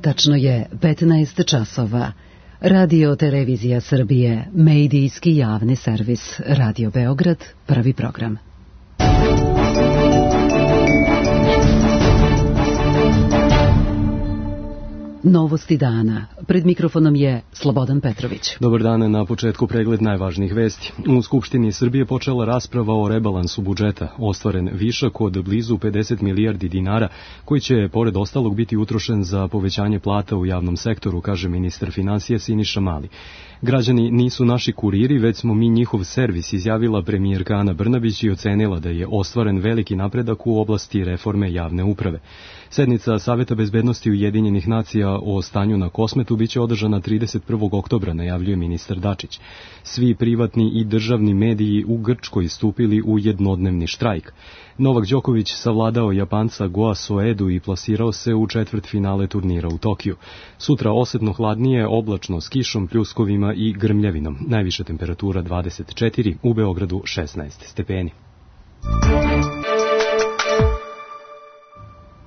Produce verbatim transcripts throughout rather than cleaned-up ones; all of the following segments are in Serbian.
Tačno je petnaest časova. Radio Televizija Srbije, medijski javni servis, Radio Beograd, prvi program. Novosti dana. Pred mikrofonom je Slobodan Petrović. Dobar dan, na početku pregled najvažnijih vesti. U Skupštini Srbije počela rasprava o rebalansu budžeta. Ostvaren višak od blizu pedeset milijardi dinara, koji će, pored ostalog, biti utrošen za povećanje plata u javnom sektoru, kaže ministar finansija Siniša Mali. Građani nisu naši kuriri, već smo mi njihov servis, izjavila premijerka Ana Brnabić i ocenila da je ostvaren veliki napredak u oblasti reforme javne uprave. Sednica Saveta bezbednosti Ujedinjenih nacija o stanju na Kosmetu biće održana trideset prvog oktobra, najavljuje ministar Dačić. Svi privatni i državni mediji u Grčkoj stupili u jednodnevni štrajk. Novak Đoković savladao Japanca Goa Soedu i plasirao se u četvrtfinale turnira u Tokiju. Sutra osetno hladnije, oblačno s kišom, pljuskovima i grmljavinom. Najviša temperatura dvadeset četiri, u Beogradu šesnaest stepeni.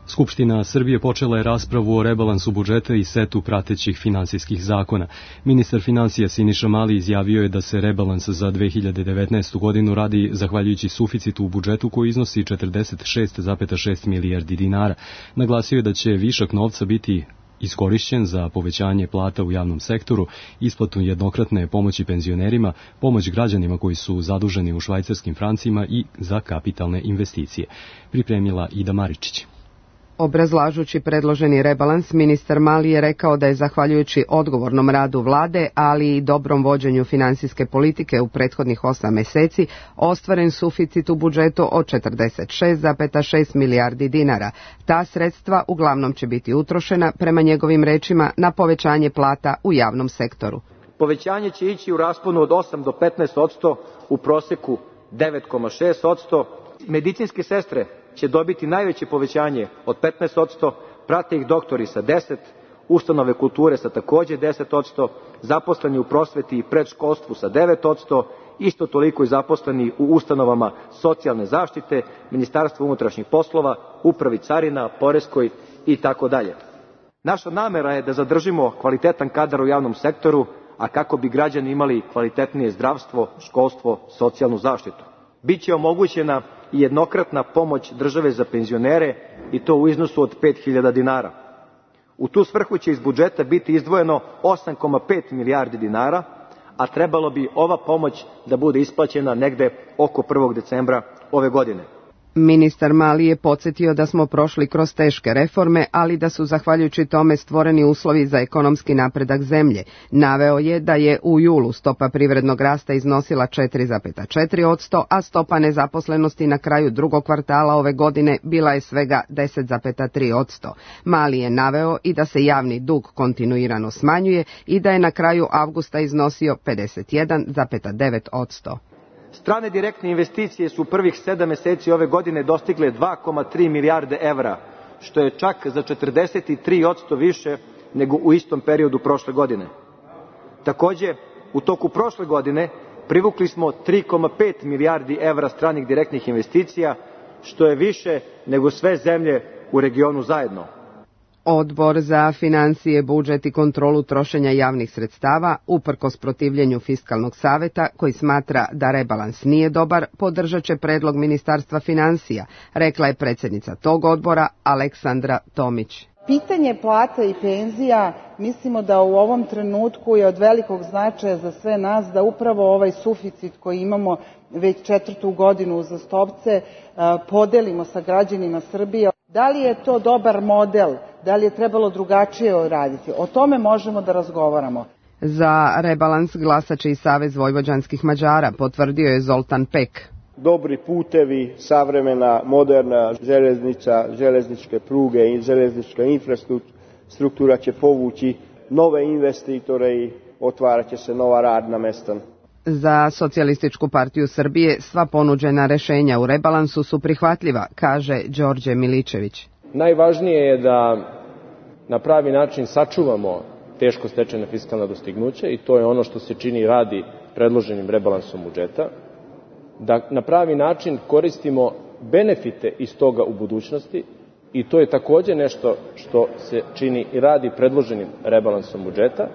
Skupština Srbije počela je raspravu o rebalansu budžeta i setu pratećih finansijskih zakona. Ministar finansija Siniša Mali izjavio je da se rebalans za dve hiljade devetnaestu. godinu radi zahvaljujući suficitu u budžetu koji iznosi četrdeset šest zarez šest milijardi dinara. Naglasio je da će višak novca biti iskorišćen za povećanje plata u javnom sektoru, isplatu jednokratne pomoći penzionerima, pomoć građanima koji su zaduženi u švajcarskim francima i za kapitalne investicije. Pripremila Ida Maričić. Obrazlažući predloženi rebalans, ministar Mali je rekao da je zahvaljujući odgovornom radu vlade, ali i dobrom vođenju finansijske politike u prethodnih osam meseci, ostvaren suficit u budžetu od četrdeset šest zarez šest milijardi dinara. Ta sredstva uglavnom će biti utrošena, prema njegovim rečima, na povećanje plata u javnom sektoru. Povećanje će ići u rasponu od osam do petnaest posto, u proseku devet zarez šest posto. Medicinske sestre će dobiti najveće povećanje od petnaest posto, prate ih doktori sa deset posto, ustanove kulture sa takođe deset posto, zaposleni u prosveti i predškolstvu sa devet posto, isto toliko i zaposleni u ustanovama socijalne zaštite, Ministarstvo unutrašnjih poslova, Upravi carina, Poreskoj i tako dalje. Naša namera je da zadržimo kvalitetan kadar u javnom sektoru, a kako bi građani imali kvalitetnije zdravstvo, školstvo, socijalnu zaštitu. Biće omogućena i jednokratna pomoć države za penzionere i to u iznosu od pet hiljada dinara. U tu svrhu će iz budžeta biti izdvojeno osam zarez pet milijardi dinara, a trebalo bi ova pomoć da bude isplaćena negde oko prvog decembra ove godine. Ministar Mali je podsjetio da smo prošli kroz teške reforme, ali da su zahvaljujući tome stvoreni uslovi za ekonomski napredak zemlje. Naveo je da je u julu stopa privrednog rasta iznosila četiri zarez četiri posto, a stopa nezaposlenosti na kraju drugog kvartala ove godine bila je svega deset zarez tri posto. Mali je naveo i da se javni dug kontinuirano smanjuje i da je na kraju avgusta iznosio pedeset jedan zarez devet posto. Strane direktne investicije su u prvih sedam meseci ove godine dostigle dva zarez tri milijarde evra, što je čak za četrdeset tri posto više nego u istom periodu prošle godine. Takođe, u toku prošle godine privukli smo tri zarez pet milijardi evra stranih direktnih investicija, što je više nego sve zemlje u regionu zajedno. Odbor za finansije, budžet i kontrolu trošenja javnih sredstava, uprkos protivljenju Fiskalnog saveta, koji smatra da rebalans nije dobar, podržat će predlog Ministarstva finansija, rekla je predsjednica tog odbora Aleksandra Tomić. Pitanje plata i penzija, mislimo da u ovom trenutku je od velikog značaja za sve nas da upravo ovaj suficit koji imamo već četvrtu godinu uzastopce podelimo sa građanima Srbije. Da li je to dobar model? Da li je trebalo drugačije raditi? O tome možemo da razgovaramo. Za rebalans glasače i Savez vojvođanskih Mađara, potvrdio je Zoltan Pek. Dobri putevi, savremena, moderna železnica, železničke pruge i železnička infrastruktura će povući nove investitore i otvarat će se nova radna mesta. Za Socijalističku partiju Srbije sva ponuđena rešenja u rebalansu su prihvatljiva, kaže Đorđe Miličević. Najvažnije je da na pravi način sačuvamo teško stečena fiskalna dostignuća i to je ono što se čini i radi predloženim rebalansom budžeta, da na pravi način koristimo benefite iz toga u budućnosti I to je takođe nešto što se čini i radi predloženim rebalansom budžeta.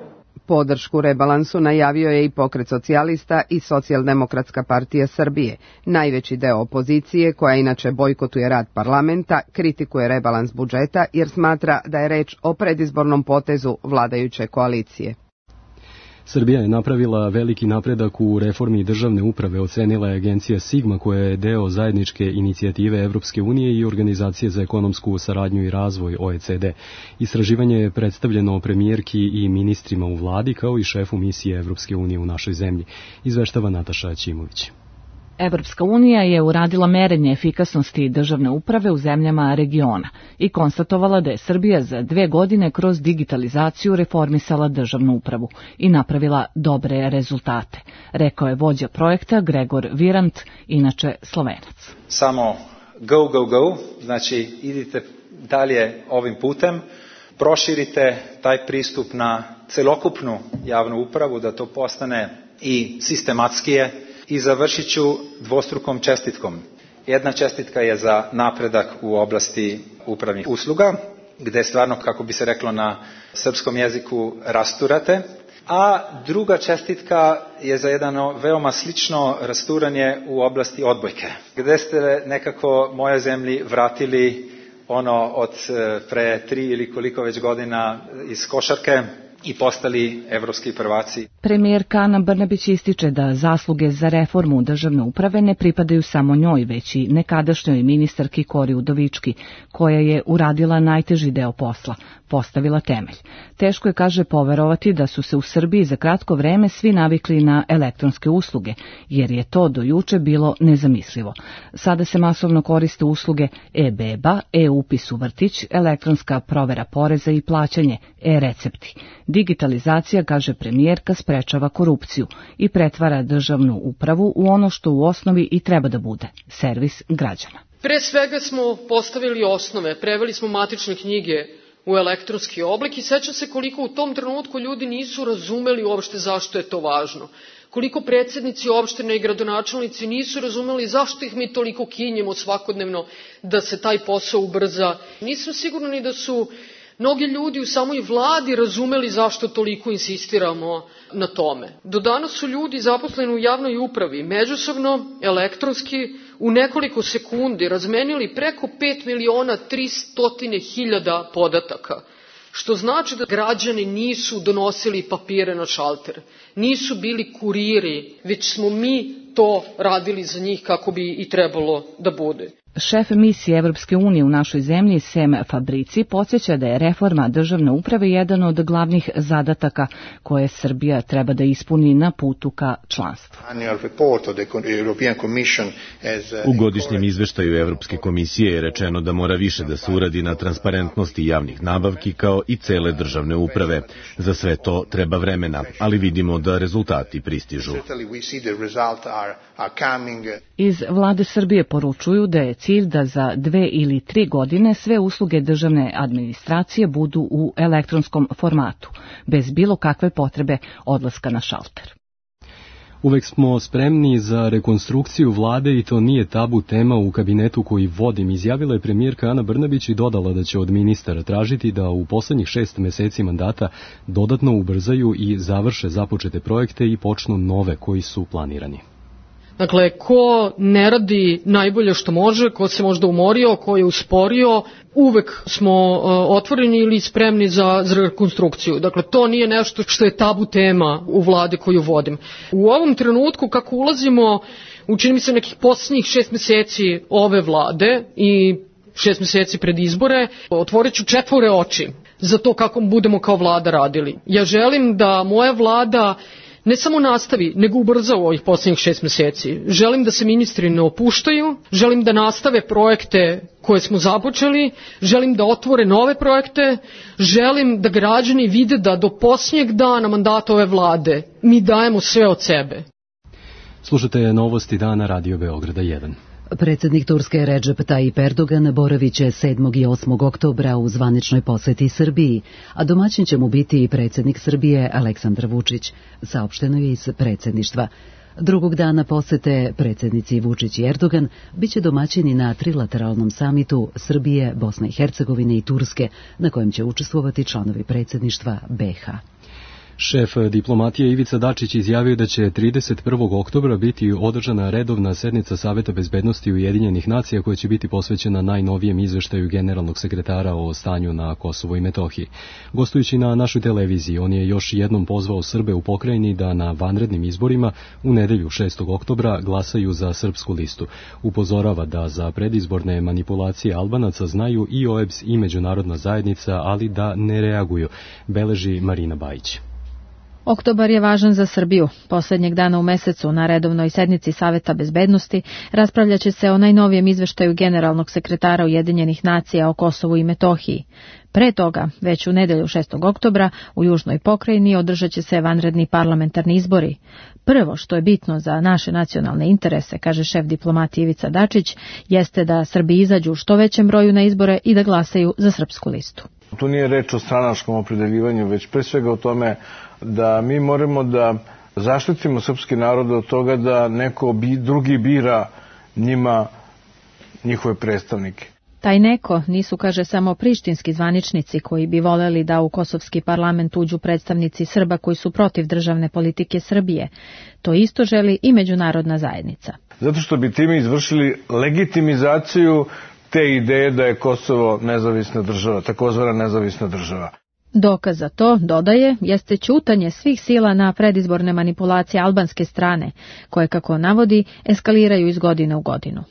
Podršku rebalansu najavio je i Pokret socijalista i Socijaldemokratska partija Srbije. Najveći deo opozicije, koja inače bojkotuje rad parlamenta, kritikuje rebalans budžeta jer smatra da je reč o predizbornom potezu vladajuće koalicije. Srbija je napravila veliki napredak u reformi državne uprave, ocenila je agencija Sigma, koja je deo zajedničke inicijative Evropske unije i Organizacije za ekonomsku saradnju i razvoj O E C D. Istraživanje je predstavljeno premijerki i ministrima u vladi, kao i šefu misije Evropske unije u našoj zemlji, izveštava Nataša Ćimović. Evropska unija je uradila merenje efikasnosti državne uprave u zemljama regiona i konstatovala da je Srbija za dve godine kroz digitalizaciju reformisala državnu upravu i napravila dobre rezultate, rekao je vođa projekta Gregor Virant, inače Slovenac. Samo go, go, go, znači idite dalje ovim putem, proširite taj pristup na celokupnu javnu upravu, da to postane i sistematskije. I završit ću dvostrukom čestitkom. Jedna čestitka je za napredak u oblasti upravnih usluga, gde stvarno, kako bi se reklo na srpskom jeziku, rasturate. A druga čestitka je za jedno veoma slično rasturanje u oblasti odbojke, gde ste nekako moje zemlji vratili ono od pre tri ili koliko već godina iz košarke i postali evropski prvaci. Premijerka Ana Brnabić ističe da zasluge za reformu državne uprave ne pripadaju samo njoj, već i nekadašnjoj ministarki Kori Udovički, koja je uradila najteži deo posla, postavila temelj. Teško je, kaže, poverovati da su se u Srbiji za kratko vreme svi navikli na elektronske usluge, jer je to do juče bilo nezamislivo. Sada se masovno koriste usluge e-beba, e-upis u vrtić, elektronska provera poreza i plaćanje, e-recepti. Digitalizacija, kaže premijerka, sprečava korupciju i pretvara državnu upravu u ono što u osnovi i treba da bude, servis građana. Pre svega smo postavili osnove, preveli smo matične knjige u elektronski oblik i sećam se koliko u tom trenutku ljudi nisu razumeli uopšte zašto je to važno. Koliko predsednici opštine i gradonačelnici nisu razumeli zašto ih mi toliko kinjemo svakodnevno da se taj posao ubrza. Nisam sigurna ni da su mnogi ljudi u samoj vladi razumeli zašto toliko insistiramo na tome. Do danas su ljudi zaposleni u javnoj upravi međusobno, elektronski, u nekoliko sekundi razmenili preko pet miliona tristo hiljada podataka, što znači da građani nisu donosili papire na šalter, nisu bili kuriri, već smo mi to radili za njih kako bi i trebalo da bude. Šef misije Evropske unije u našoj zemlji, Sem Fabrici, podsjeća da je reforma državne uprave jedan od glavnih zadataka koje Srbija treba da ispuni na putu ka članstvu. U godišnjem izveštaju Evropske komisije je rečeno da mora više da se uradi na transparentnosti javnih nabavki kao i cele državne uprave. Za sve to treba vremena, ali vidimo da rezultati pristižu. Iz vlade Srbije poručuju da je cilj da za dve ili tri godine sve usluge državne administracije budu u elektronskom formatu, bez bilo kakve potrebe odlaska na šalter. Uvek smo spremni za rekonstrukciju vlade i to nije tabu tema u kabinetu koji vodim, izjavila je premijerka Ana Brnabić i dodala da će od ministara tražiti da u poslednjih šest meseci mandata dodatno ubrzaju i završe započete projekte i počnu nove koji su planirani. Dakle, ko ne radi najbolje što može, ko se možda umorio, ko je usporio, uvek smo uh, otvoreni ili spremni za, za rekonstrukciju. Dakle, to nije nešto što je tabu tema u vlade koju vodim. U ovom trenutku, kako ulazimo, učini mi se nekih posljednjih šest meseci ove vlade i šest meseci pred izbore, otvorit ću četvore oči za to kako budemo kao vlada radili. Ja želim da moja vlada ne samo nastavi, nego ubrza u ovih posljednjih šest meseci. Želim da se ministri ne opuštaju, želim da nastave projekte koje smo započeli, želim da otvore nove projekte, želim da građani vide da do posljednjeg dana mandata ove vlade mi dajemo sve od sebe. Slušate novosti dana Radio Beograda jedan. Predsjednik Turske Recep Tayyip Erdogan boravit će sedmog i osmog oktobra u zvaničnoj poseti Srbiji, a domaćin će mu biti i predsjednik Srbije Aleksandar Vučić, saopšteno je iz predsjedništva. Drugog dana posete predsjednici Vučić i Erdogan biće domaćini na trilateralnom samitu Srbije, Bosne i Hercegovine i Turske, na kojem će učestvovati članovi predsjedništva be ha. Šef diplomatije Ivica Dačić izjavio da će trideset prvog oktobra biti održana redovna sednica Saveta bezbednosti Ujedinjenih nacija koja će biti posvećena najnovijem izveštaju generalnog sekretara o stanju na Kosovu i Metohiji. Gostujući na našoj televiziji, on je još jednom pozvao Srbe u pokrajini da na vanrednim izborima u nedelju šestog oktobra glasaju za srpsku listu. Upozorava da za predizborne manipulacije Albanaca znaju i o e b s i međunarodna zajednica, ali da ne reaguju, beleži Marina Bajić. Oktobar je važan za Srbiju. Poslednjeg dana u mesecu na redovnoj sednici Saveta bezbednosti raspravljaće se o najnovijem izveštaju generalnog sekretara Ujedinjenih nacija o Kosovu i Metohiji. Pre toga, već u nedelju šestog oktobra, u Južnoj pokrajini održat će se vanredni parlamentarni izbori. Prvo što je bitno za naše nacionalne interese, kaže šef diplomatije Ivica Dačić, jeste da Srbi izađu u što većem broju na izbore i da glasaju za srpsku listu. Tu nije reč o stranačkom opredeljivanju, već pre svega o tome da mi moramo da zaštitimo srpski narod od toga da neko drugi bira njima njihove predstavnike. Taj neko nisu, kaže, samo prištinski zvaničnici koji bi voleli da u kosovski parlament uđu predstavnici Srba koji su protiv državne politike Srbije. To isto želi i međunarodna zajednica. Zato što bi time izvršili legitimizaciju te ideje da je Kosovo nezavisna država, takozvana nezavisna država. Dokaz za to, dodaje, jeste ćutanje svih sila na predizborne manipulacije albanske strane, koje, kako navodi, eskaliraju iz godine u godinu.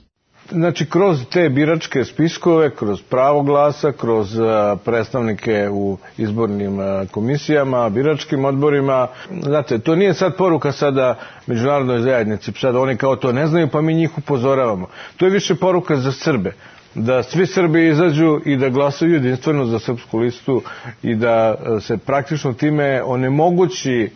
Znači, kroz te biračke spiskove, kroz pravo glasa, kroz predstavnike u izbornim komisijama, biračkim odborima, znate, to nije sad poruka sada međunarodnoj zajednici, sad oni kao to ne znaju, pa mi njih upozoravamo. To je više poruka za Srbe, da svi Srbi izađu i da glasaju jedinstveno za srpsku listu i da se praktično time onemogući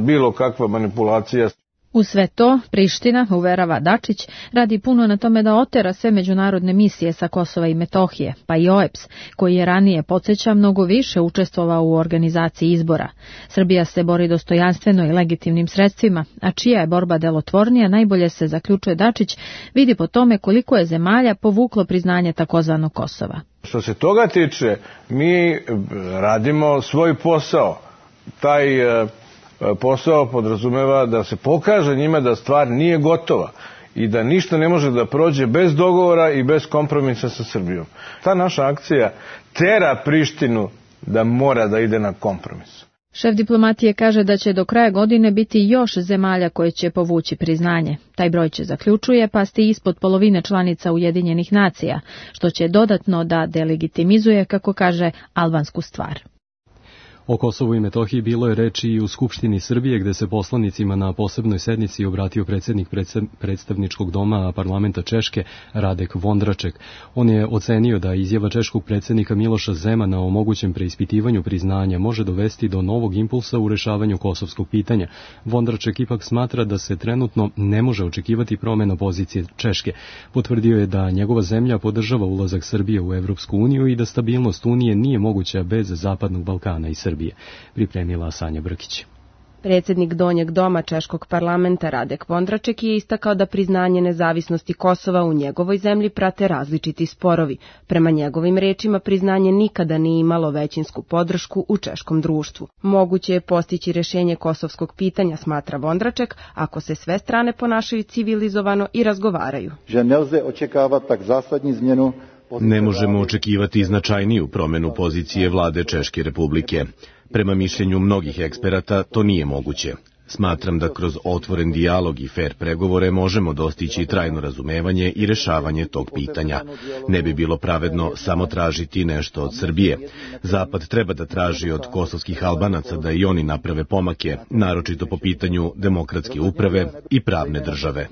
bilo kakva manipulacija. U sve to, Priština, uverava Dačić, radi puno na tome da otera sve međunarodne misije sa Kosova i Metohije, pa i o e b s, koji je ranije, podsjeća, mnogo više učestvovao u organizaciji izbora. Srbija se bori dostojanstveno i legitimnim sredstvima, a čija je borba delotvornija, najbolje se, zaključuje Dačić, vidi po tome koliko je zemalja povuklo priznanje takozvanog Kosova. Što se toga tiče, mi radimo svoj posao. Taj posao podrazumeva da se pokaže njima da stvar nije gotova i da ništa ne može da prođe bez dogovora i bez kompromisa sa Srbijom. Ta naša akcija tera Prištinu da mora da ide na kompromis. Šef diplomatije kaže da će do kraja godine biti još zemalja koje će povući priznanje. Taj broj će, zaključuje, pasti ispod polovine članica Ujedinjenih nacija, što će dodatno da delegitimizuje, kako kaže, albansku stvar. O Kosovu i Metohiji bilo je reči i u Skupštini Srbije, gde se poslanicima na posebnoj sednici obratio predsjednik predstavničkog doma parlamenta Češke, Radek Vondraček. On je ocenio da izjava češkog predsjednika Miloša Zemana o mogućem preispitivanju priznanja može dovesti do novog impulsa u rešavanju kosovskog pitanja. Vondraček ipak smatra da se trenutno ne može očekivati promjena pozicije Češke. Potvrdio je da njegova zemlja podržava ulazak Srbije u Evropsku uniju i da stabilnost Unije nije moguća bez Zapadnog Balkana i Srbije. Pripremila Sanja Brkić. Predsjednik Donjeg doma Češkog parlamenta Radek Vondraček je istakao da priznanje nezavisnosti Kosova u njegovoj zemlji prate različiti sporovi. Prema njegovim rečima, priznanje nikada nije imalo većinsku podršku u češkom društvu. Moguće je postići rešenje kosovskog pitanja, smatra Vondraček, ako se sve strane ponašaju civilizovano i razgovaraju. Že nelze očekávať tak zásadní zmenu. Ne možemo očekivati značajniju promjenu pozicije vlade Češke republike. Prema mišljenju mnogih eksperata to nije moguće. Smatram da kroz otvoren dijalog i fer pregovore možemo dostići trajno razumevanje i rešavanje tog pitanja. Ne bi bilo pravedno samo tražiti nešto od Srbije. Zapad treba da traži od kosovskih Albanaca da i oni naprave pomake, naročito po pitanju demokratske uprave i pravne države.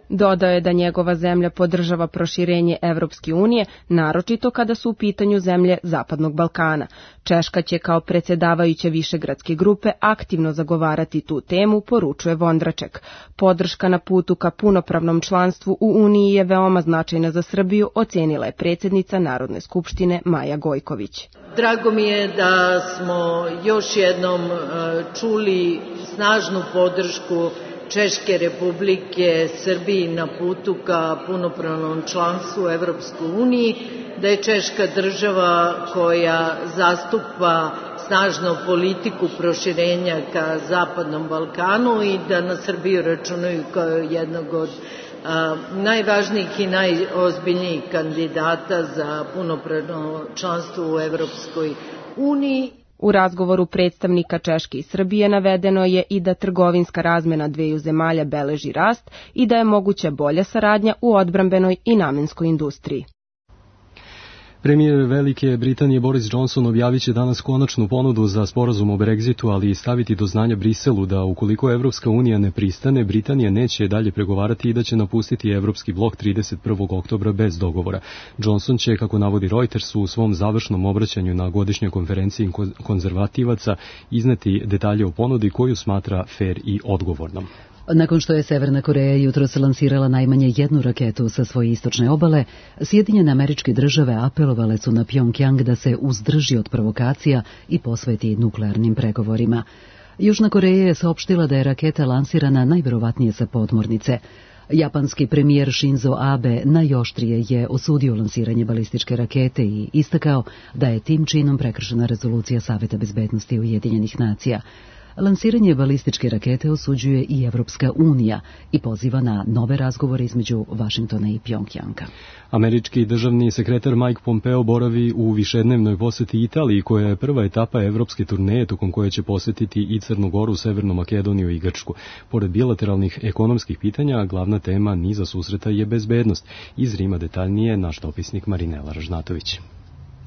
Dodao je da njegova zemlja podržava proširenje Evropske unije, naročito kada su u pitanju zemlje Zapadnog Balkana. Češka će kao predsjedavajuća višegradske grupe aktivno zagovarati tu temu, poručuje Vondraček. Podrška na putu ka punopravnom članstvu u Uniji je veoma značajna za Srbiju, ocenila je predsjednica Narodne skupštine Maja Gojković. Drago mi je da smo još jednom čuli snažnu podršku Češke Republike Srbiji na putu ka punopravnom članstvu u Evropskoj uniji, da je Češka država koja zastupa snažnu politiku proširenja ka Zapadnom Balkanu i da na Srbiju računaju kao jednog od a, najvažnijih i najozbiljnijih kandidata za punopravno članstvo u Evropskoj uniji. U razgovoru predstavnika Češke i Srbije navedeno je i da trgovinska razmena dveju zemalja beleži rast i da je moguća bolja saradnja u odbrambenoj i namenskoj industriji. Premijer Velike Britanije Boris Johnson objavit će danas konačnu ponudu za sporazum o Brexitu, ali i staviti do znanja Briselu da ukoliko Evropska unija ne pristane, Britanija neće dalje pregovarati i da će napustiti Evropski blok trideset prvog oktobra bez dogovora. Johnson će, kako navodi Reuters, u svom završnom obraćanju na godišnjoj konferenciji konzervativaca izneti detalje o ponudi koju smatra fer i odgovornom. Nakon što je Severna Koreja jutros lansirala najmanje jednu raketu sa svoje istočne obale, Sjedinjene Američke Države apelovale su na Pjongjang da se uzdrži od provokacija i posveti nuklearnim pregovorima. Južna Koreja je saopštila da je raketa lansirana najverovatnije sa podmornice. Japanski premijer Shinzo Abe najoštrije je osudio lansiranje balističke rakete i istakao da je tim činom prekršena rezolucija Saveta bezbednosti Ujedinjenih nacija. Lansiranje balističke rakete osuđuje i Evropska unija i poziva na nove razgovore između Vašingtona i Pjongjanga. Američki državni sekretar Mike Pompeo boravi u višednevnoj poseti Italiji, koja je prva etapa evropske turneje tokom koje će posetiti i Crnu Goru, Severnu Makedoniju i Grčku. Pored bilateralnih ekonomskih pitanja, glavna tema niza susreta je bezbednost. Iz Rima detaljnije naš dopisnik Marinela Ražnatović.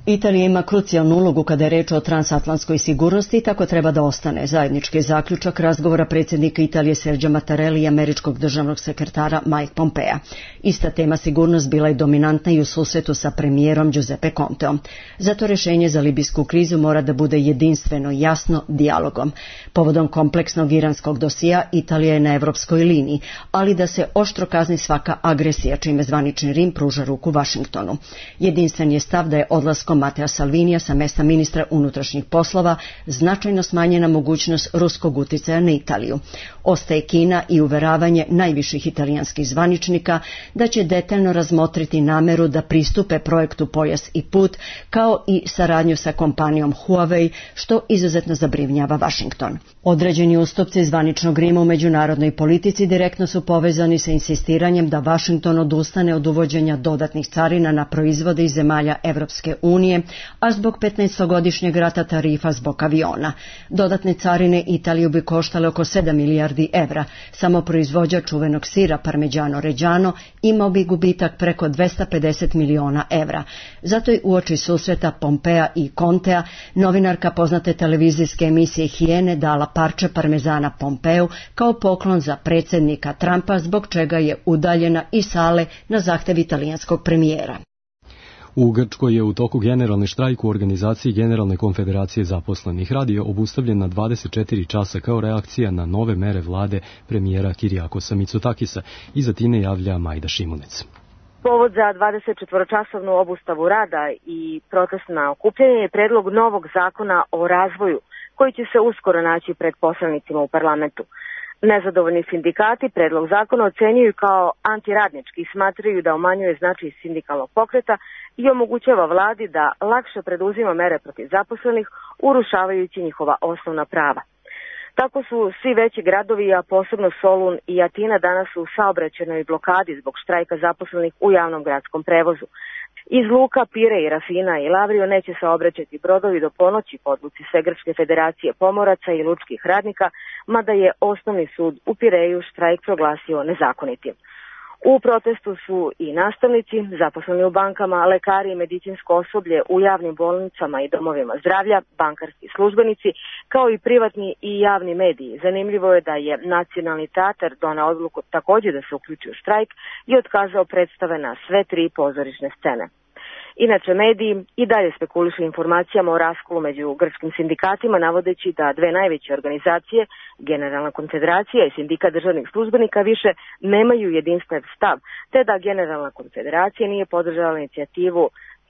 Italija ima krucijalnu ulogu kada je reč o transatlantskoj sigurnosti i tako treba da ostane. Zajednički zaključak razgovora predsjednika Italije Sergio Mattarella i američkog državnog sekretara Mike Pompea. Ista tema sigurnost bila je dominantna i u susretu sa premijerom Giuseppe Conteom. Zato rješenje za libijsku krizu mora da bude jedinstveno, jasno, dijalogom. Povodom kompleksnog iranskog dosija Italija je na evropskoj liniji, ali da se oštro kazni svaka agresija, čime zvanični Rim pruža ruku Vašingtonu. Jedinstven je stav da je odlaskom Matteo Salvinija sa mesta ministra unutrašnjih poslova značajno smanjena mogućnost ruskog uticaja na Italiju. Ostaje Kina i uveravanje najviših italijanskih zvaničnika da će detaljno razmotriti nameru da pristupe projektu Pojas i put, kao i saradnju sa kompanijom Huawei, što izuzetno zabrinjava Vašington. Određeni ustupci zvaničnog Rima u međunarodnoj politici direktno su povezani sa insistiranjem da Vašington odustane od uvođenja dodatnih carina na proizvode iz zemalja Evropske unije, a zbog petnaestogodišnjeg rata tarifa zbog aviona. Dodatne carine Italiju bi koštale oko sedam milijardi evra. Samo proizvođač čuvenog sira Parmigiano Reggiano imao bi gubitak preko dvesta pedeset miliona evra. Zato je uoči susreta Pompea i Contea novinarka poznate televizijske emisije Hijene dala parče parmezana Pompeu kao poklon za predsjednika Trumpa, zbog čega je udaljena iz sale na zahtev italijanskog premijera. U Grčkoj je u toku generalni štrajk u organizaciji Generalne konfederacije zaposlenih. Rad je obustavljen na dvadeset četiri časa kao reakcija na nove mere vlade premijera Kirijakosa Mitsotakisa. Iza tine javlja Majda Šimunec. Povod za dvadesetčetvoročasovnu obustavu rada i protestna okupljanja je predlog novog zakona o razvoju, koji će se uskoro naći pred poslanicima u parlamentu. Nezadovoljni sindikati predlog zakona ocenjuju kao antiradnički i smatraju da umanjuje značaj sindikalnog pokreta i omogućava vladi da lakše preduzima mere protiv zaposlenih, urušavajući njihova osnovna prava. Tako su svi veći gradovi, a posebno Solun i Atina, danas u saobraćajnoj blokadi zbog štrajka zaposlenih u javnom gradskom prevozu. Iz luka Pire i Rafina i Lavrio neće saobraćati brodovi do ponoći po odluci Svegrčke federacije pomoraca i lučkih radnika, mada je osnovni sud u Pireju štrajk proglasio nezakonitim. U protestu su i nastavnici, zaposleni u bankama, lekari i medicinsko osoblje u javnim bolnicama i domovima zdravlja, bankarski službenici, kao i privatni i javni mediji. Zanimljivo je da je Nacionalni teatar doneo odluku također da se uključi u štrajk i otkazao predstave na sve tri pozorišne scene. Inače, mediji i dalje spekulišu informacijama o raskolu među grčkim sindikatima, navodeći da dve najveće organizacije, Generalna konfederacija i Sindikat državnih službenika, više nemaju jedinstven stav, te da Generalna konfederacija nije podržala inicijativu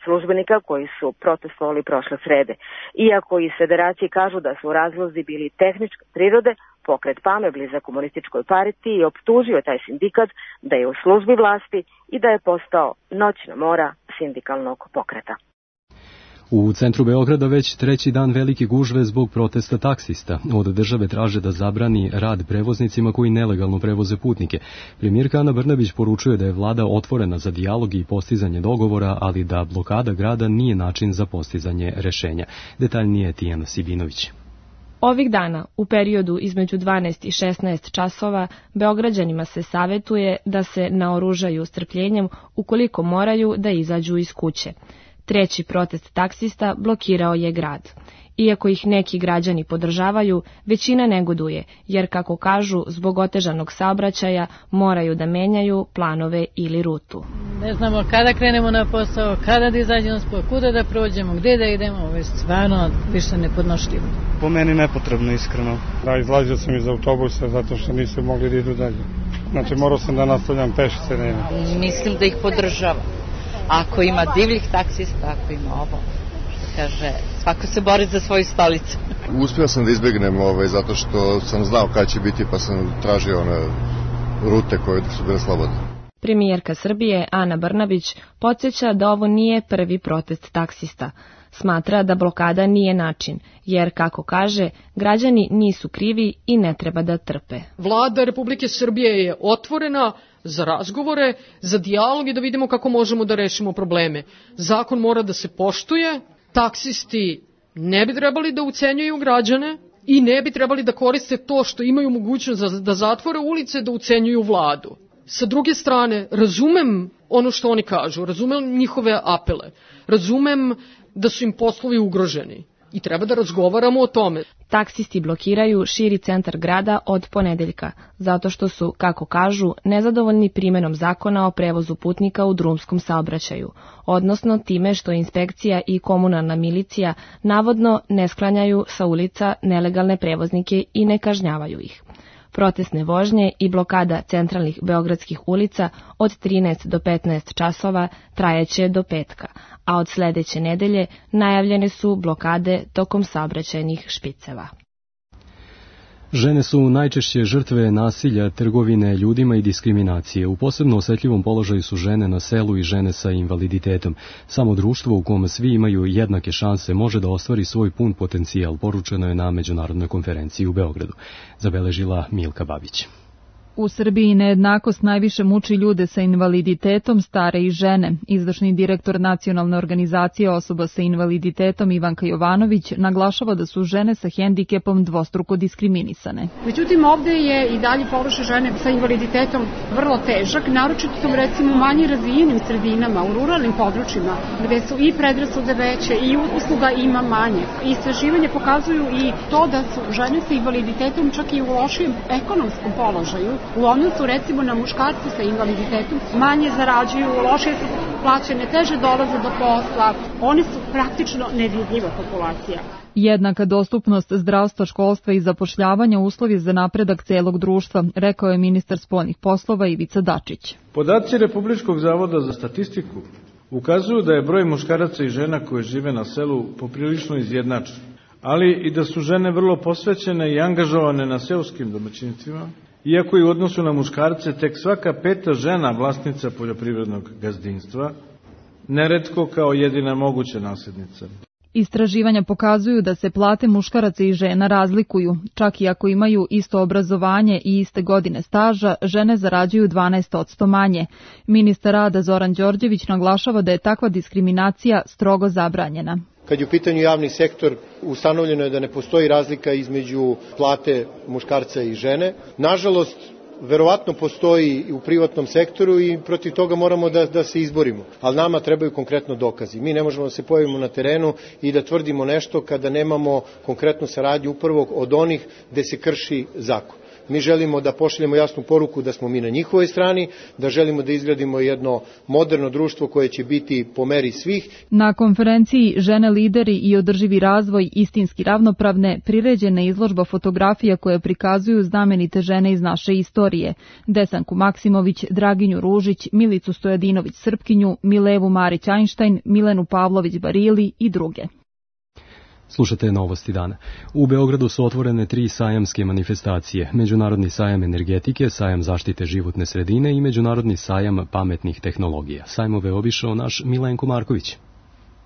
službenika koji su protestovali prošle srede. Iako iz federacije kažu da su razlozi bili tehničke prirode, Pokret PAME, blizak komunističkoj partiji, optužio taj sindikat da je u službi vlasti i da je postao noćna mora sindikalnog pokreta. U centru Beograda već treći dan veliki gužve zbog protesta taksista. Od države traže da zabrani rad prevoznicima koji nelegalno prevoze putnike. Premijerka Ana Brnabić poručuje da je vlada otvorena za dijalog i postizanje dogovora, ali da blokada grada nije način za postizanje rešenja. Detaljnije Tijana Sibinović. Ovih dana, u periodu između dvanaest i šesnaest časova, Beograđanima se savetuje da se naoružaju strpljenjem ukoliko moraju da izađu iz kuće. Treći protest taksista blokirao je grad. Iako ih neki građani podržavaju, većina negoduje, jer kako kažu, zbog otežanog saobraćaja moraju da menjaju planove ili rutu. Ne znamo kada krenemo na posao, kada da izađemo spod, kuda da prođemo, gde da idemo, ovo je stvarno više nepodnošljivo. Po meni nepotrebno, iskreno. Da, izlazio sam iz autobusa zato što nisu mogli da idu dalje. Znači morao sam da nastavljam pešice. Ne. Mislim da ih podržava. Ako ima divljih taksista, ako ima ovo, što kaže, svako se bori za svoju stolicu. Uspio sam da izbjegnem ovaj, zato što sam znao kada će biti, pa sam tražio one rute koje su bile slobodne. Premijerka Srbije Ana Brnabić podsjeća da ovo nije prvi protest taksista. Smatra da blokada nije način, jer, kako kaže, građani nisu krivi i ne treba da trpe. Vlada Republike Srbije je otvorena za razgovore, za dijalog i da vidimo kako možemo da rešimo probleme. Zakon mora da se poštuje, taksisti ne bi trebali da ucenjuju građane i ne bi trebali da koriste to što imaju mogućnost da zatvore ulice, da ucenjuju vladu. Sa druge strane, razumem ono što oni kažu, razumem njihove apele, razumem da su im poslovi ugroženi i treba da razgovaramo o tome. Taksisti blokiraju širi centar grada od ponedeljka, zato što su, kako kažu, nezadovoljni primenom zakona o prevozu putnika u drumskom saobraćaju, odnosno time što inspekcija i komunalna milicija navodno ne sklanjaju sa ulica nelegalne prevoznike i ne kažnjavaju ih. Protestne vožnje i blokada centralnih beogradskih ulica od trinaest do petnaest časova trajeće do petka, a od sledeće nedelje najavljene su blokade tokom saobraćajnih špiceva. Žene su najčešće žrtve nasilja, trgovine ljudima i diskriminacije. U posebno osetljivom položaju su žene na selu i žene sa invaliditetom. Samo društvo u kom svi imaju jednake šanse može da ostvari svoj pun potencijal, poručeno je na međunarodnoj konferenciji u Beogradu. Zabeležila Milka Babić. U Srbiji nejednakost najviše muči ljude sa invaliditetom, stare i žene. Izvršni direktor Nacionalne organizacije osoba sa invaliditetom Ivanka Jovanović naglašava da su žene sa hendikepom dvostruko diskriminisane. Međutim, ovde je i dalje položaj žene sa invaliditetom vrlo težak, naročito u recimo manje razvijenim sredinama, u ruralnim područjima, gde su i predrasude veće i usluga ima manje. Istraživanje pokazuju i to da su žene sa invaliditetom čak i u lošijem ekonomskom položaju, u odnosu recimo na muškarce sa invaliditetom, manje zarađuju, lošije su plaćene, teže dolaze do posla, one su praktično nevidljiva populacija. Jednaka dostupnost zdravstva, školstva i zapošljavanja uslovi za napredak celog društva, rekao je ministar spoljnih poslova Ivica Dačić. Podaci Republičkog zavoda za statistiku ukazuju da je broj muškaraca i žena koje žive na selu poprilično izjednačen, ali i da su žene vrlo posvećene i angažovane na seoskim domaćinstvima, iako i u odnosu na muškarce tek svaka peta žena vlasnica poljoprivrednog gazdinstva, neretko kao jedina moguća nasljednica. Istraživanja pokazuju da se plate muškaraca i žena razlikuju. Čak i ako imaju isto obrazovanje i iste godine staža, žene zarađuju dvanaest posto manje. Ministar rada Zoran Đorđević naglašava da je takva diskriminacija strogo zabranjena. Kad je u pitanju javni sektor, ustanovljeno je da ne postoji razlika između plate muškarca i žene. Nažalost, verovatno postoji i u privatnom sektoru i protiv toga moramo da, da se izborimo. Ali nama trebaju konkretno dokazi. Mi ne možemo da se pojavimo na terenu i da tvrdimo nešto kada nemamo konkretnu saradnju upravo od onih gde se krši zakon. Mi želimo da pošaljemo jasnu poruku da smo mi na njihovoj strani, da želimo da izgradimo jedno moderno društvo koje će biti po meri svih. Na konferenciji Žene lideri i održivi razvoj istinski ravnopravne priređena izložba fotografija koje prikazuju znamenite žene iz naše istorije. Desanku Maksimović, Draginju Ružić, Milicu Stojadinović Srpkinju, Milevu Marić Einstein, Milenu Pavlović Barili i druge. Slušate novosti dana. U Beogradu su otvorene tri sajamske manifestacije. Međunarodni sajam energetike, sajam zaštite životne sredine i Međunarodni sajam pametnih tehnologija. Sajmove obišao naš Milenko Marković.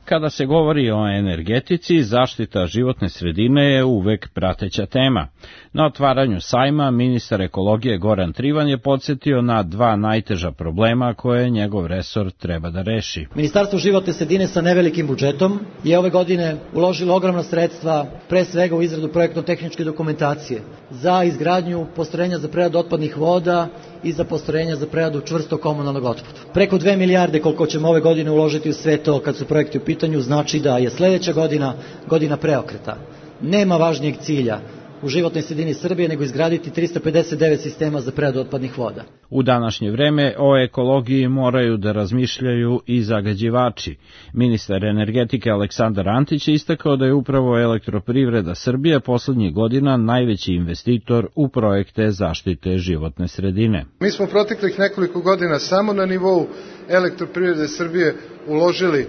Kada se govori o energetici, zaštita životne sredine je uvek prateća tema. Na otvaranju sajma ministar ekologije Goran Trivan je podsjetio na dva najteža problema koje njegov resor treba da reši. Ministarstvo životne sredine sa nevelikim budžetom je ove godine uložilo ogromna sredstva, pre svega u izradu projektno-tehničke dokumentacije, za izgradnju postrojenja za preradu otpadnih voda i za postrojenja za preradu čvrstog komunalnog otpada. Preko dve milijarde koliko ćemo ove godine uložiti u sve to kad su projekti u pitanju, znači da je sledeća godina godina preokreta. Nema važnijeg cilja u životnoj sredini Srbije nego izgraditi trista pedeset devet sistema za preradu otpadnih voda. U današnje vreme o ekologiji moraju da razmišljaju i zagađivači. Ministar energetike Aleksandar Antić je istakao da je upravo Elektroprivreda Srbije poslednjih godina najveći investitor u projekte zaštite životne sredine. Mi smo proteklih nekoliko godina samo na nivou Elektroprivrede Srbije uložili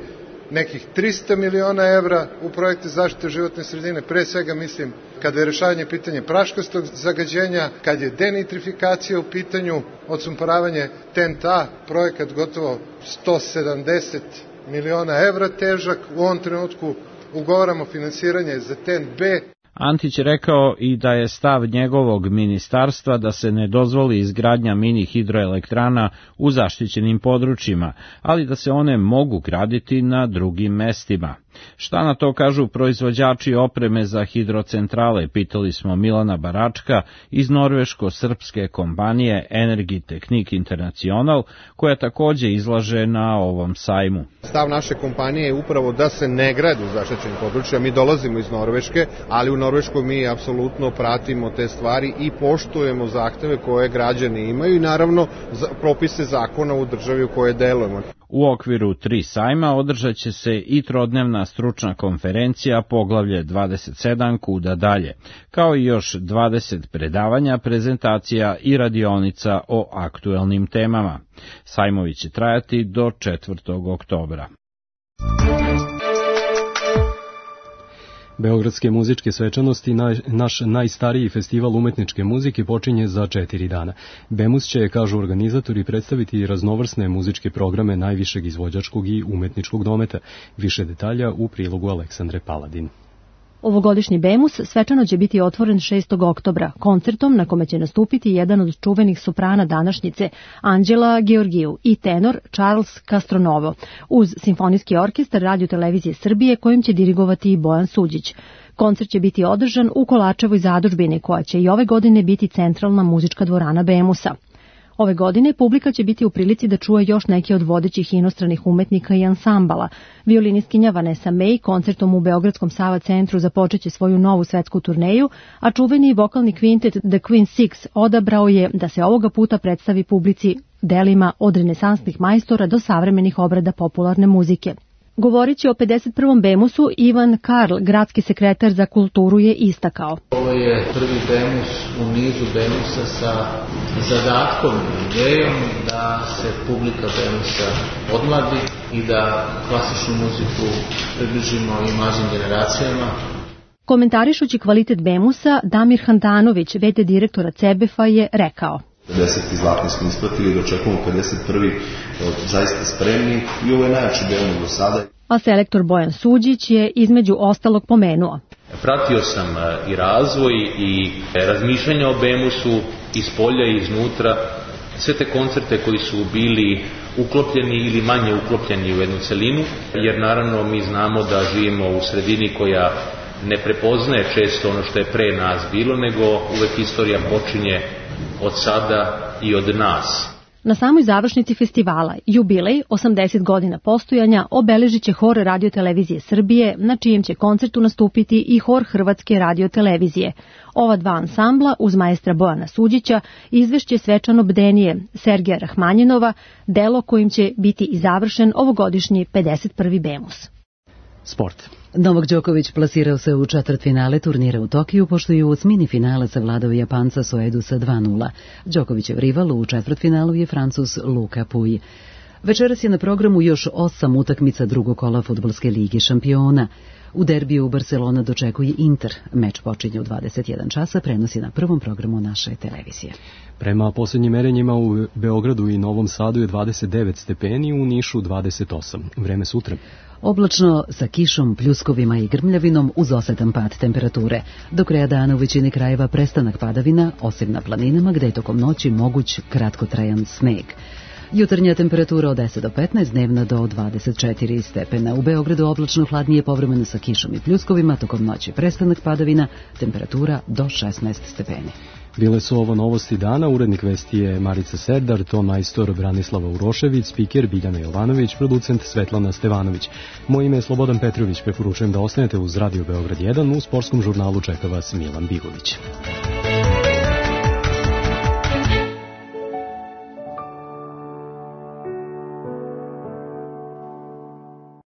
nekih trista miliona evra u projekte zaštite životne sredine, pre svega mislim kada je rešavanje pitanje praškastog zagađenja, kad je denitrifikacija u pitanju, odsumporavanje T E N T A, projekat gotovo sto sedamdeset miliona evra težak, u ovom trenutku ugovaramo finansiranje za T E N B. Antić je rekao i da je stav njegovog ministarstva da se ne dozvoli izgradnja mini hidroelektrana u zaštićenim područjima, ali da se one mogu graditi na drugim mestima. Šta na to kažu proizvođači opreme za hidrocentrale, pitali smo Milana Baračka iz norveško-srpske kompanije Energy Technique International, koja takođe izlaže na ovom sajmu. Stav naše kompanije je upravo da se ne grade u zaštićenim područjima. Mi dolazimo iz Norveške, ali u Norveškoj mi apsolutno pratimo te stvari i poštujemo zahteve koje građani imaju i naravno propise zakona u državi u kojoj delujemo. U okviru tri sajma održat će se i trodnevna stručna konferencija Poglavlje dvadeset sedam Kuda dalje, kao i još dvadeset predavanja, prezentacija i radionica o aktuelnim temama. Sajmovi će trajati do četvrtog oktobra. Beogradske muzičke svečanosti, naš najstariji festival umetničke muzike, počinje za četiri dana. Bemus će, kažu organizatori, predstaviti raznovrsne muzičke programe najvišeg izvođačkog i umetničkog dometa. Više detalja u prilogu Aleksandre Paladin. Ovogodišnji Bemus svečano će biti otvoren šestog oktobra koncertom na kome će nastupiti jedan od čuvenih soprana današnjice, Anđela Georgiju, i tenor Charles Castronovo, uz Simfonijski orkestar Radio-televizije Srbije kojim će dirigovati i Bojan Suđić. Koncert će biti održan u Kolačevoj zadužbini, koja će i ove godine biti centralna muzička dvorana Bemusa. Ove godine publika će biti u prilici da čuje još neke od vodećih inostranih umetnika i ansambala. Violinistkinja Vanessa May koncertom u Beogradskom Sava centru započeće svoju novu svetsku turneju, a čuveni vokalni kvintet The Queen Six odabrao je da se ovoga puta predstavi publici delima od renesansnih majstora do savremenih obrada popularne muzike. Govorići o pedeset prvom Bemusu, Ivan Karl, gradski sekretar za kulturu, je istakao. Ovo je prvi Bemus u nizu Bemusa sa zadatkom i idejom da se publika Bemusa odmladi i da klasičnu muziku približimo i mlađim generacijama. Komentarišući kvalitet Bemusa, Damir Handanović, v d direktora Cebefa, je rekao: pedeseti zlatni smo ispratili, dočekujemo pedeset prvi zaista spremni i ovo je najjači Bemus do sada. A selektor Bojan Suđić je između ostalog pomenuo: pratio sam i razvoj i razmišljanja o Bemusu iz polja i iznutra, sve te koncerte koji su bili uklopljeni ili manje uklopljeni u jednu celinu, jer naravno mi znamo da živimo u sredini koja ne prepoznaje često ono što je pre nas bilo, nego uvek istorija počinje od sada i od nas. Na samoj završnici festivala, jubilej osamdeset godina postojanja, obeležit će hor Radio-televizije Srbije, na čijem će koncertu nastupiti i hor Hrvatske Radio-televizije. Ova dva ansambla, uz maestra Bojana Suđića, izvešće svečano bdenije Sergeja Rahmanjinova, delo kojim će biti i završen ovogodišnji pedeset prvi Bemus. Sport. Novak Đoković plasirao se u četvrtfinale turnira u Tokiju, pošto je u osmini finala savladao Japanca Soedu sa dva nula. Đokovićev rival u četvrtfinalu je Francuz Luka Pouille. Večeras je na programu još osam utakmica drugog kola Fudbalske lige šampiona. U derbiju Barcelona dočekuje Inter. Meč počinje u dvadeset jedan časa, prenosi na prvom programu naše televizije. Prema posljednjim merenjima u Beogradu i Novom Sadu je dvadeset devet stepeni, u Nišu dvadeset osam. Vreme sutra. Oblačno, sa kišom, pljuskovima i grmljavinom uz osetan pad temperature. Do kraja dana u većini krajeva prestanak padavina, osim na planinama gde je tokom noći moguć kratkotrajan sneg. Jutarnja temperatura od deset do petnaest, dnevna do dvadeset četiri stepena. U Beogradu oblačno, hladnije, povremeno sa kišom i pljuskovima, tokom noći prestanak padavina, temperatura do šesnaest stepeni. Bile su ovo novosti dana, urednik vesti je Marica Serdar, ton majstor Branislava Urošević, spiker Biljana Jovanović, producent Svetlana Stevanović. Moje ime je Slobodan Petrović, preporučujem da ostanete uz Radio Beograd jedan, u sportskom žurnalu čeka vas Milan Bigović.